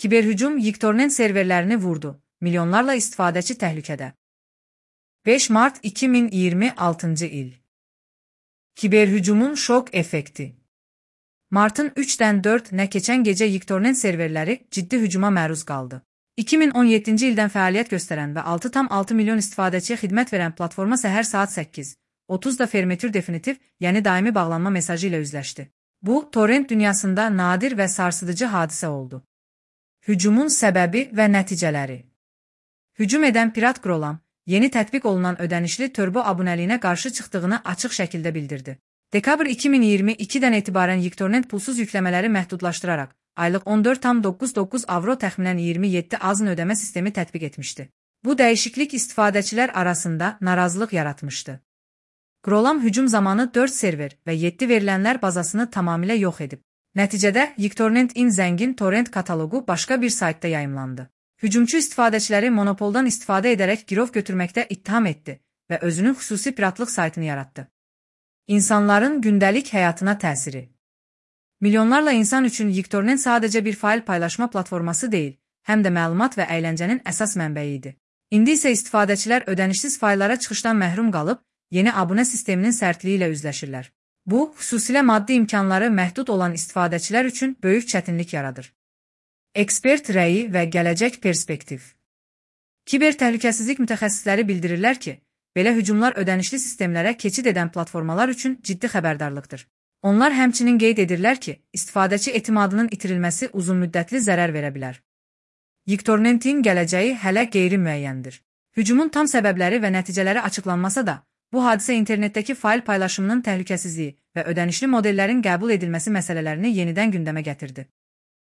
Kiberhücum Yiktornet serverlərini vurdu. Milyonlarla istifadəçi təhlükədə. 5 Mart 2026 il. Kiberhücumun şok effekti. Martın 3-dən 4-nə keçən gecə Yiktornet serverləri ciddi hücuma məruz qaldı. 2017-ci ildən fəaliyyət göstərən və 6,6 milyon istifadəçiyə xidmət verən platforma səhər saat 8:30-da fermeture definitiv, yəni daimi bağlanma mesajı ilə üzləşdi. Bu, torrent dünyasında nadir və sarsıdıcı hadisə oldu. Hücumun səbəbi və nəticələri. Hücum edən pirat Grolam, yeni tətbiq olunan ödənişli turbo abunəliyinə qarşı çıxdığını açıq şəkildə bildirdi. Dekabr 2022-dən etibarən Yiktornet pulsuz yükləmələri məhdudlaşdıraraq, aylıq 14,99 avro təxminən 27 azın ödəmə sistemi tətbiq etmişdi. Bu dəyişiklik istifadəçilər arasında narazılıq yaratmışdı. Grolam hücum zamanı 4 server və 7 verilənlər bazasını tamamilə yox edib. Nəticədə Yiktornetin zəngin torrent kataloqu başqa bir saytda yayımlandı. Hücumçu istifadəçiləri monopoldan istifadə edərək girov götürməkdə ittiham etdi və özünün xüsusi piratlıq saytını yaratdı. İnsanların gündəlik həyatına təsiri. Milyonlarla insan üçün Yiktornet sadəcə bir fayl paylaşma platforması deyil, həm də məlumat və əyləncənin əsas mənbəyi idi. İndi isə istifadəçilər ödənişsiz fayllara çıxışdan məhrum qalıb, yeni abunə sisteminin sərtliyi ilə üzləşirlər. Bu, xüsusilə maddi imkanları məhdud olan istifadəçilər üçün böyük çətinlik yaradır. Ekspert rəyi və gələcək perspektiv. Kiber təhlükəsizlik mütəxəssisləri bildirirlər ki, belə hücumlar ödənişli sistemlərə keçid edən platformalar üçün ciddi xəbərdarlıqdır. Onlar həmçinin qeyd edirlər ki, istifadəçi etimadının itirilməsi uzunmüddətli zərər verə bilər. Yiktornetin gələcəyi hələ qeyri-müəyyəndir. Hücumun tam səbəbləri və nəticələri açıqlanmasa da, bu hadisə internetdəki fayl paylaşımının təhlükəsizliyi və ödənişli modellərin qəbul edilməsi məsələlərini yenidən gündəmə gətirdi.